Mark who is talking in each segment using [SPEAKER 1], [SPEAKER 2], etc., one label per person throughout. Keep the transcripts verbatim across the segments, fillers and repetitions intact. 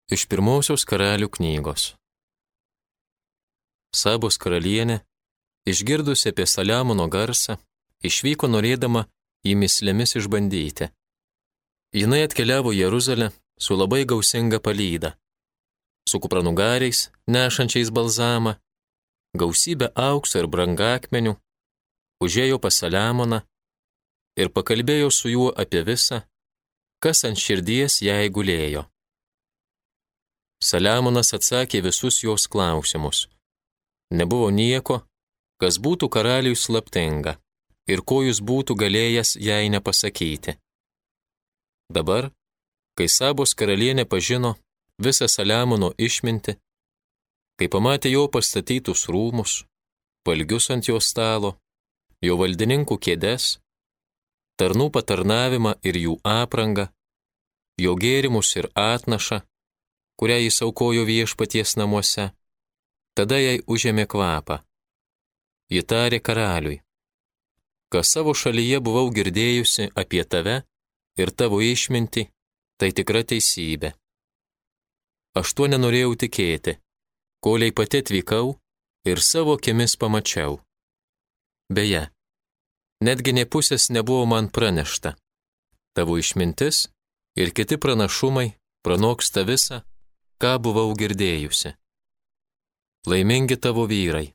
[SPEAKER 1] Iš pirmosios karalių knygos. Sabos karalienė, išgirdusi apie Saliamono garsą, išvyko norėdama jį mislėmis išbandyti. Jinai atkeliavo į Jeruzalę su labai gausinga palyda, su kupranugariais, nešančiais balzamą, gausybę aukso ir brangakmenių, užėjo pas Saliamoną ir pakalbėjo su juo apie visą, kas ant širdies jai gulėjo. Saliamonas atsakė visus jos klausimus. Nebuvo nieko, kas būtų karaliui slaptinga ir ko jis būtų galėjęs jai nepasakyti. Dabar, kai Sabos karalienė pažino visą Saliamono išmintį, kai pamatė jo pastatytus rūmus, valgius ant jo stalo, jo valdininkų kėdes, tarnų patarnavimą ir jų aprangą, jo gėrimus ir atnašą, kurią jis aukojo viešpaties namuose, tada jai užėmė kvapą. Ji tarė karaliui, kas savo šalyje buvau girdėjusi apie tave ir tavo išmintį, tai tikra teisybė. Aš tuo nenorėjau tikėti, koliai pati atvykau ir savo akimis pamačiau. Beje, netgi nė pusės nebuvo man pranešta. Tavo išmintis ir kiti pranašumai pranoksta visą, ką buvau girdėjusi. Laimingi tavo vyrai,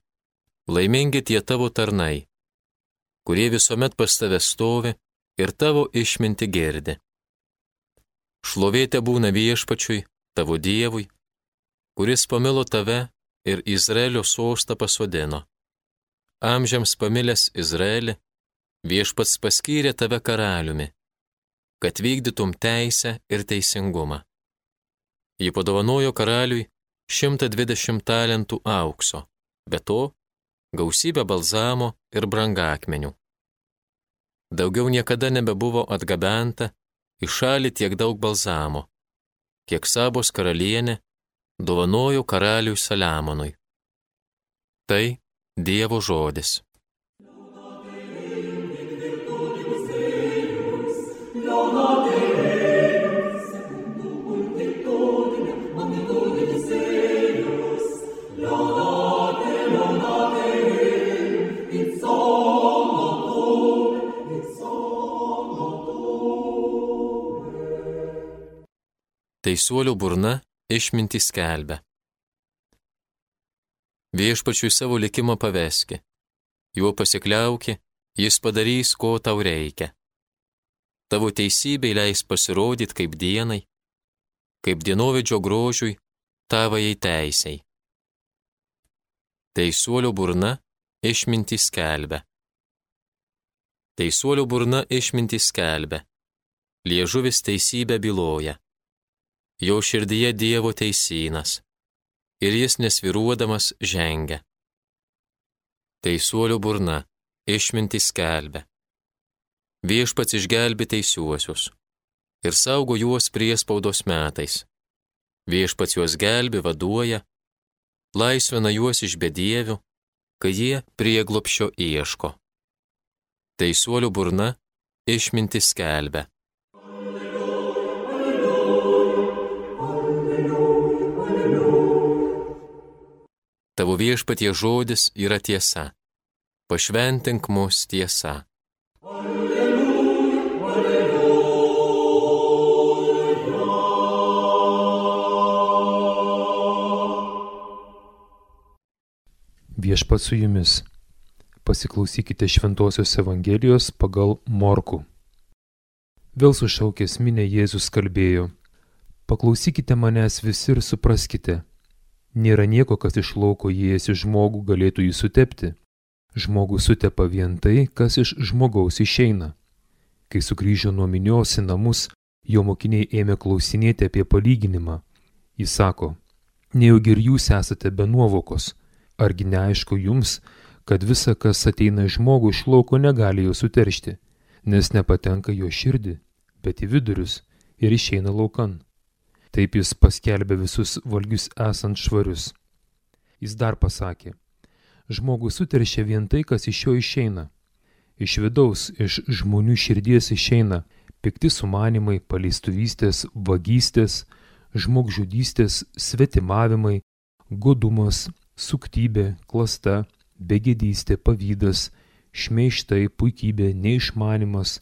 [SPEAKER 1] laimingi tie tavo tarnai, kurie visuomet pas tave stovi ir tavo išmintį girdi. Šlovė tebūna viešpačiui, tavo Dievui, kuris pamilo tave ir Izraelio sostą pasodino. Amžiams pamilęs Izraelį, viešpats paskyrė tave karaliumi, kad vykdytum teisę ir teisingumą. Ji padovanojo karaliui šimtą dvidešimt talentų aukso, be to gausybę balzamo ir brangakmenių. Daugiau niekada nebebuvo atgabenta į šalį tiek daug balzamo, kiek Sabos karalienė dovanojo karaliui Saliamonui. Tai Dievo žodis. Teisuolio burna išmintį skelbia. Viešpačiui savo likimą paveski, juo pasikliauki, jis padarys, ko tau reikia. Tavo teisybei leis pasirodyti kaip dienai, kaip dienovidžio grožiui, tavajai teisei. Teisuolio burna išmintį skelbia. Teisuolio burna išmintį skelbia, liežuvis teisybę byloja. Jo širdyje Dievo teisynas, ir jis nesviruodamas žengia. Teisuolio burna išmintį skelbia. Viešpats išgelbi teisiuosius ir saugo juos priespaudos metais. Viešpats juos gelbi, vaduoja, laisvina juos iš bedievių, kai jie prieglobsčio ieško. Teisuolio burna išmintį skelbia. Tavo viešpatie žodis yra tiesa. Pašventink mus tiesa. Alleluja, alleluja.
[SPEAKER 2] Viešpats su jumis. Pasiklausykite Šventosios Evangelijos pagal Morkų. Vėl sušaukęs minią Jėzus kalbėjo: Paklausykite manęs visi ir supraskite. Nėra nieko, kas iš lauko įėjęs į žmogų galėtų jį sutepti. Žmogus sutepa vien tai, kas iš žmogaus išeina. Kai sugrįžo nuo minios į namus, jo mokiniai ėmė klausinėti apie palyginimą. Jis sako: nejaugi ir jūs esate be nuovokos. Argi neaišku jums, kad visa, kas ateina iš žmogų iš lauko, negali jo suteršti, nes nepatenka jo širdį, bet į vidurius ir išeina laukan. Taip jis paskelbė visus valgius esant švarius. Jis dar pasakė: žmogų suteršia vien tai, kas iš jo išeina. Iš vidaus, iš žmonių širdies išeina pikti sumanimai, paleistuvystės, vagystės, žmogžudystės, svetimavimai, godumas, suktybė, klasta, begėdystė, pavydas, šmeižtai, puikybė, neišmanimas.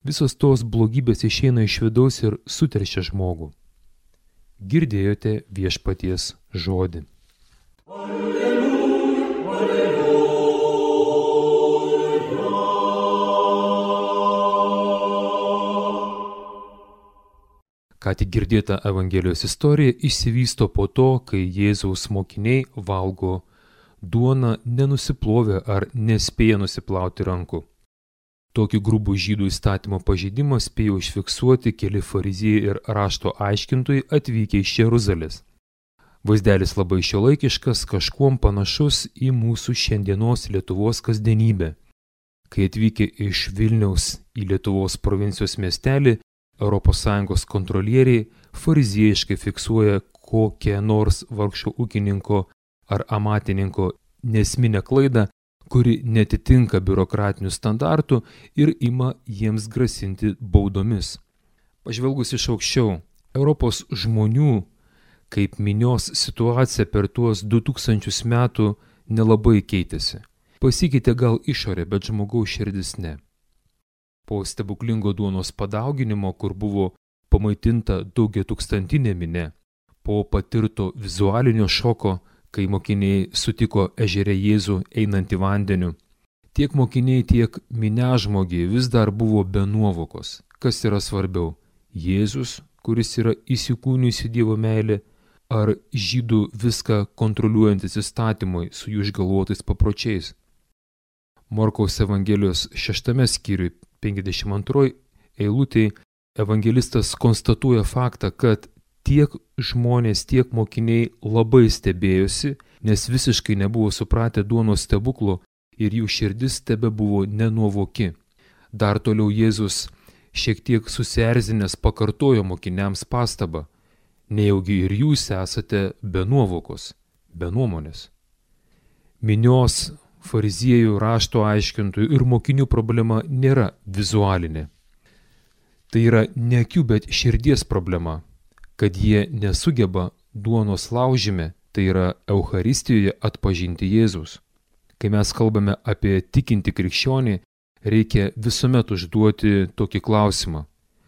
[SPEAKER 2] Visos tos blogybės išeina iš vidaus ir suteršia žmogų. Girdėjote viešpaties žodį. Ką tik girdėta Evangelijos istorija išsivysto po to, kai Jėzaus mokiniai valgo duoną nenusiplovę ar nespėję nusiplauti rankų. Tokį grubų žydų įstatymo pažeidimą spėjo užfiksuoti keli fariziejai ir rašto aiškintojai atvykę iš Jeruzalės. Vaizdelis labai šiuolaikiškas, kažkuom panašus į mūsų šiandienos Lietuvos kasdienybę. Kai atvykę iš Vilniaus į Lietuvos provincijos miestelį, Europos Sąjungos kontrolieriai fariziejiškai fiksuoja kokią nors vargšo ūkininko ar amatininko nesminę klaidą, kuri netitinka biurokratinių standartų ir ima jiems grasinti baudomis. Pažvelgus iš aukščiau, Europos žmonių kaip minios situacija per tuos du tūkstančius metų nelabai keitėsi. Pasikeitė gal išorė, bet žmogaus širdis ne. Po stebuklingo duonos padauginimo, kur buvo pamaitinta daugiatūkstantinė minia, po patirto vizualinio šoko, kai mokiniai sutiko ežere Jėzų einantį vandeniu, tiek mokiniai, tiek miniažmogiai vis dar buvo be nuovokos. Kas yra svarbiau? Jėzus, kuris yra įsikūnijusi Dievo meilė, ar žydų viską kontroliuojantis įstatymui su jų išgalvotais papročiais? Morkaus Evangelijos šeštame skyriui penkiasdešimt antroj eilutėj evangelistas konstatuoja faktą, kad tiek žmonės, tiek mokiniai labai stebėjosi, nes visiškai nebuvo supratę duonos stebuklo ir jų širdis tebe buvo nenuovoki. Dar toliau Jėzus šiek tiek susierzinęs pakartojo mokiniams pastabą: nejaugi ir jūs esate be nuovokos, be nuomonės. Minios, fariziejų, rašto aiškintojų ir mokinių problema nėra vizualinė. Tai yra ne akių, bet širdies problema, kad jie nesugeba duonos laužime, tai yra Eucharistijoje, atpažinti Jėzus. Kai mes kalbame apie tikintį krikščionį, reikia visuomet užduoti tokį klausimą: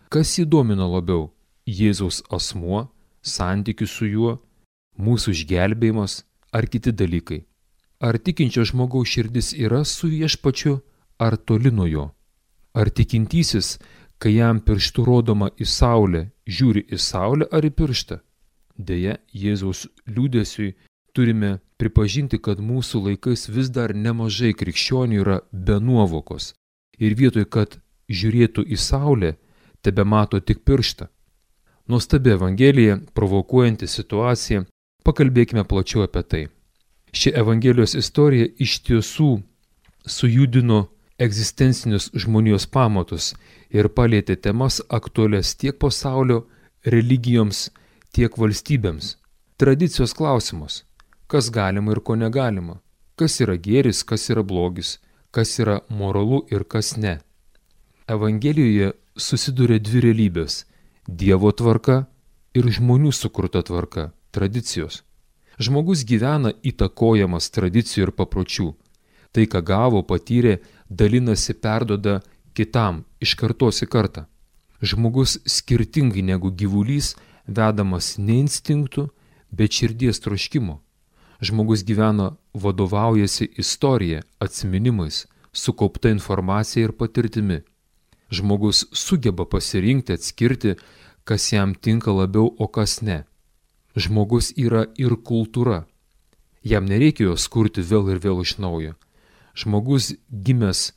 [SPEAKER 2] kas jį domina labiau? Jėzaus asmuo, santykis su juo, mūsų išgelbėjimas ar kiti dalykai? Ar tikinčio žmogaus širdis yra su viešpačiu ar toli nuo jo? Ar tikintysis, kai jam pirštu rodoma į saulę, žiūri į saulę ar į pirštą? Deja, Jėzaus liūdesiui turime pripažinti, kad mūsų laikais vis dar nemažai krikščionių yra be nuovokos ir vietoj, kad žiūrėtų į saulę, tebemato tik pirštą. Nuostabi Evangelija, provokuojanti situaciją, pakalbėkime plačiau apie tai. Ši Evangelijos istorija iš tiesų sujudino egzistencinius žmonijos pamatus ir palietė temas aktualias tiek pasaulio religijoms, tiek valstybėms. Tradicijos klausimus: kas galima ir ko negalima, kas yra gėris, kas yra blogis, kas yra moralu ir kas ne. Evangelijoje susiduria dvi realybės – Dievo tvarka ir žmonių sukurta tvarka, tradicijos. Žmogus gyvena įtakojamas tradicijų ir papročių. Tai, ką gavo, patyrė, dalinasi, perduoda kitam iš kartos į kartą. Žmogus skirtingai negu gyvulys, vedamas ne instinktų, bet širdies troškimo. Žmogus gyvena, vadovaujasi istorija, atsiminimais, sukaupta informacija ir patirtimi. Žmogus sugeba pasirinkti, atskirti, kas jam tinka labiau, o kas ne. Žmogus yra ir kultūra. Jam nereikia jos kurti vėl ir vėl iš naujo. Žmogus gimęs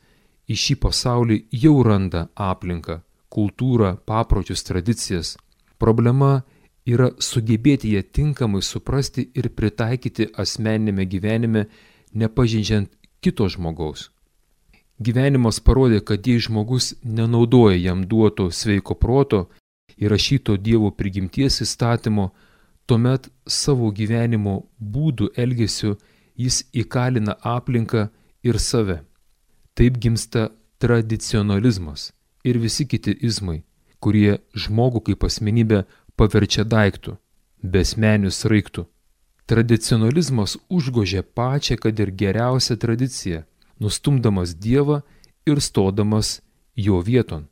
[SPEAKER 2] į šį pasaulį jau randa aplinką, kultūrą, papročius, tradicijas. Problema yra sugebėti ją tinkamai suprasti ir pritaikyti asmeninėme gyvenime, nepažeidžiant kito žmogaus. Gyvenimas parodė, kad jei žmogus nenaudoja jam duoto sveiko proto, įrašyto Dievo prigimties įstatymo, tuomet savo gyvenimo būdų elgesiu jis įkalina aplinką ir save. Taip gimsta tradicionalizmas ir visi kiti izmai, kurie žmogų kaip asmenybę paverčia daiktų, besmeniu sraigtu. Tradicionalizmas užgožia pačią, kad ir geriausią tradiciją, nustumdamas Dievą ir stodamas jo vieton.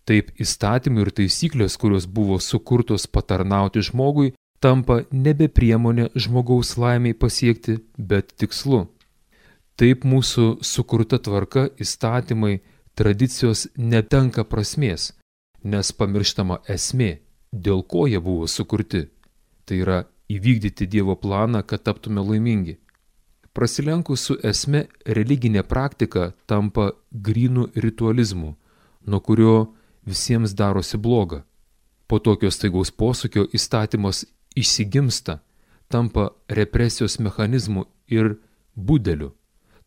[SPEAKER 2] Taip įstatymai ir taisyklės, kurios buvo sukurtos patarnauti žmogui, tampa nebe priemonė žmogaus laimiai pasiekti, bet tikslu. Taip mūsų sukurta tvarka, įstatymai, tradicijos netenka prasmės, nes pamirštama esmė, dėl ko jie buvo sukurti. Tai yra įvykdyti Dievo planą, kad taptume laimingi. Prasilenkus su esme, religinė praktika tampa grynų ritualizmu, nuo kurio visiems darosi bloga. Po tokio staigaus posūkio įstatymas išsigimsta, tampa represijos mechanizmu ir budeliu,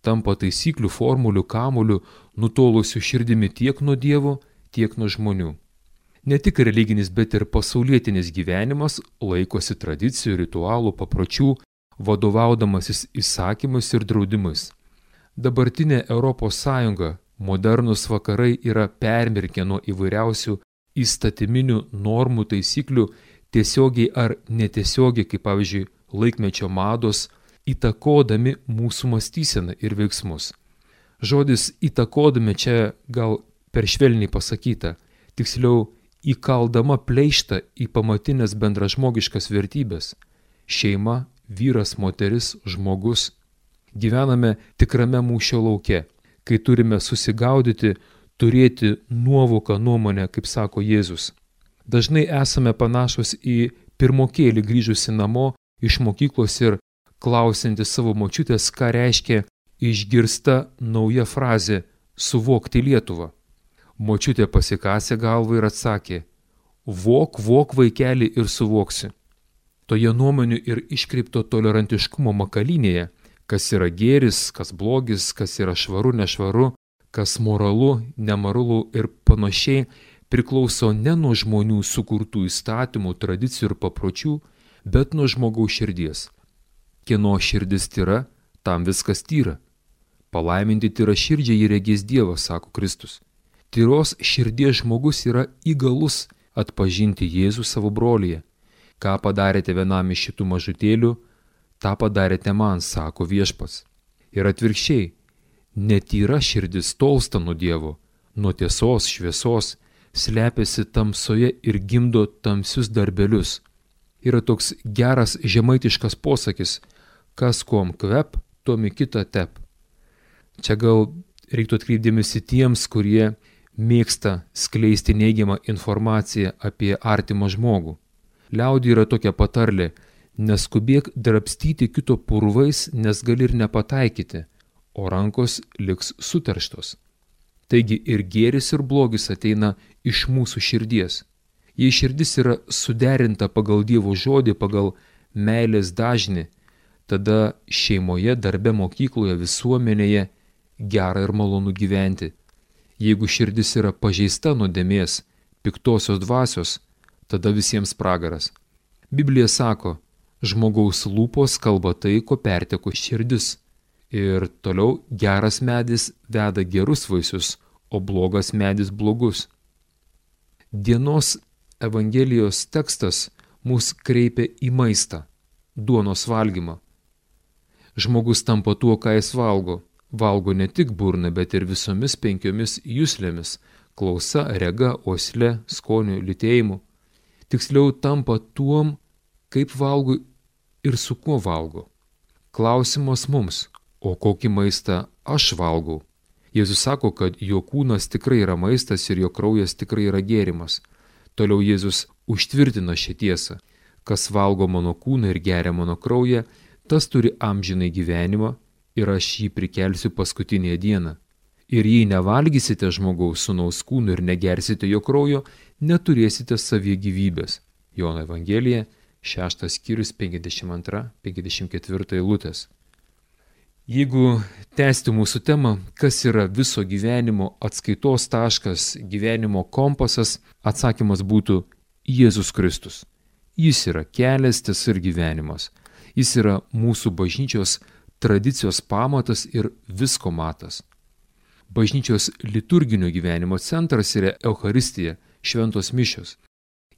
[SPEAKER 2] tampa taisyklių, formulių, kamuolių, nutolusių širdimi tiek nuo Dievo, tiek nuo žmonių. Ne tik religinis, bet ir pasaulietinis gyvenimas laikosi tradicijų, ritualų, papročių, vadovaudamasis įsakymais ir draudimais. Dabartinė Europos Sąjunga, modernus vakarai yra permirkę nuo įvairiausių įstatyminių normų, taisyklių, tiesiogiai ar netiesiogiai, kaip pavyzdžiui laikmečio mados, įtakodami mūsų mąstyseną ir veiksmus. Žodis įtakodami čia gal per švelniai pasakyta, tiksliau įkaldama pleištą į pamatinės bendražmogiškas vertybės – šeima, vyras, moteris, žmogus. Gyvename tikrame mūšio lauke, kai turime susigaudyti, turėti nuovoką nuomonę, kaip sako Jėzus. Dažnai esame panašus į pirmokėlį grįžusi namo iš mokyklos ir klausianti savo močiutės, ką reiškia išgirsta nauja frazė suvokti Lietuvą. Močiutė pasikasė galvą ir atsakė: vok, vok vaikeli ir suvoksi. Toje nuomonių ir iškreipto tolerantiškumo makalynėje, kas yra gėris, kas blogis, kas yra švaru, nešvaru, kas moralu, nemoralu ir panašiai, priklauso ne nuo žmonių sukurtų įstatymų, tradicijų ir papročių, bet nuo žmogaus širdies. Kieno širdis tyra, tam viskas tyra. Palaiminti tyra širdžiai jį regės Dievas, sako Kristus. Tyros širdies žmogus yra įgalus atpažinti Jėzų savo brolyje. Ką padarėte vienam iš šitų mažutėlių, tą padarėte man, sako Viešpats. Ir atvirkščiai, netyra širdis tolsta nuo Dievo, nuo tiesos, šviesos, slepiasi tamsoje ir gimdo tamsius darbelius. Yra toks geras žemaitiškas posakis: kas kuom kvep, tuom į kitą tep. Čia gal reiktų atkreipdėmėsi tiems, kurie mėgsta skleisti neigiamą informaciją apie artimą žmogų. Liaudyje yra tokia patarlė: neskubėk drabstyti kito purvais, nes gali ir nepataikyti, o rankos liks suterštos. Taigi ir gėris ir blogis ateina iš mūsų širdies. Jei širdis yra suderinta pagal Dievo žodį, pagal meilės dažnį, tada šeimoje, darbe, mokykloje, visuomenėje gera ir malonu gyventi. Jeigu širdis yra pažeista nuodėmės, piktosios dvasios, tada visiems pragaras. Biblija sako: žmogaus lūpos kalba tai, ko perteko širdis. Ir toliau geras medis veda gerus vaisius, o blogas medis blogus. Dienos Evangelijos tekstas mus kreipia į maistą, duonos valgymą. Žmogus tampa tuo, ką jis valgo. Valgo ne tik burna, bet ir visomis penkiomis juslėmis – klausa, rega, uosle, skoniu, lytėjimu. Tiksliau tampa tuom, kaip valgo ir su kuo valgo. Klausimas mums: o kokį maistą aš valgau? Jėzus sako, kad jo kūnas tikrai yra maistas ir jo kraujas tikrai yra gėrimas. Toliau Jėzus užtvirtina šią tiesą: kas valgo mano kūną ir geria mano kraują, tas turi amžinai gyvenimą ir aš jį prikelsiu paskutinėje dieną. Ir jei nevalgysite žmogaus sūnaus kūno ir negersite jo kraujo, neturėsite savyje gyvybės. Jono Evangelija, šeštas skyrius, penkiasdešimt antra penkiasdešimt ketvirta eilutės. Jeigu tęsti mūsų temą, kas yra viso gyvenimo atskaitos taškas, gyvenimo kompasas, atsakymas būtų Jėzus Kristus. Jis yra kelias, tiesa ir gyvenimas. Jis yra mūsų bažnyčios tradicijos pamatas ir visko matas. Bažnyčios liturginio gyvenimo centras yra Eucharistija, šventos mišios.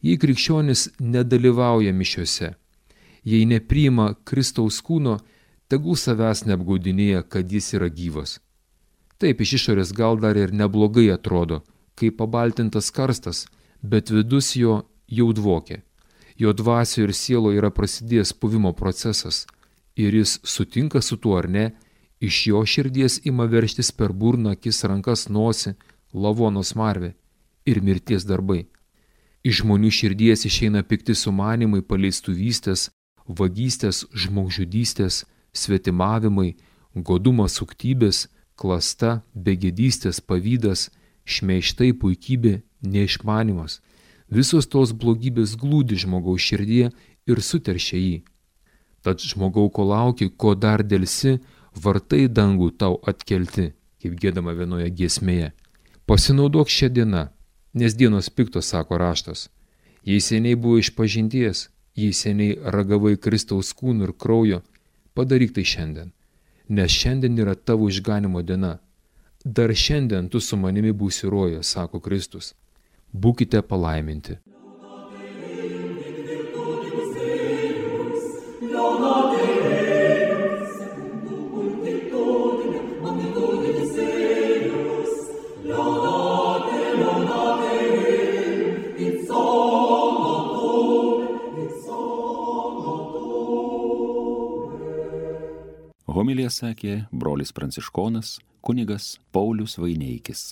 [SPEAKER 2] Jei krikščionis nedalyvauja mišiose, jei nepriima Kristaus kūno, tegul savęs neapgaudinėja, kad jis yra gyvas. Taip iš išorės gal dar ir neblogai atrodo, kaip pabaltintas karstas, bet vidus jo jau dvokia. Jo dvasio ir sielo yra prasidėjęs puvimo procesas ir jis sutinka su tuo ar ne, iš jo širdies ima verštis per burną, akis, rankas, nosį, lavono smarvę ir mirties darbai. Iš žmonių širdies išeina pikti sumanimai, paleistuvystės, vagystės, žmogžudystės, svetimavimai, godumas, suktybės, klasta, begėdystės, pavydas, šmeižtai, puikybė, neišmanimas. Visos tos blogybės glūdi žmogaus širdyje ir suteršia jį. Tad žmogau, ko lauki, ko dar delsi, vartai dangų tau atkelti, kaip giedama vienoje giesmėje. Pasinaudok šią dieną, nes dienos piktos, sako raštas. Jei seniai buvo išpažinties, jei seniai ragavai Kristaus kūno ir kraujo, padaryk tai šiandien, nes šiandien yra tavo išganimo diena. Dar šiandien tu su manimi būsi rojoje, sako Kristus. Būkite palaiminti.
[SPEAKER 3] Homiliją sakė brolis pranciškonas kunigas Paulius Vaineikis.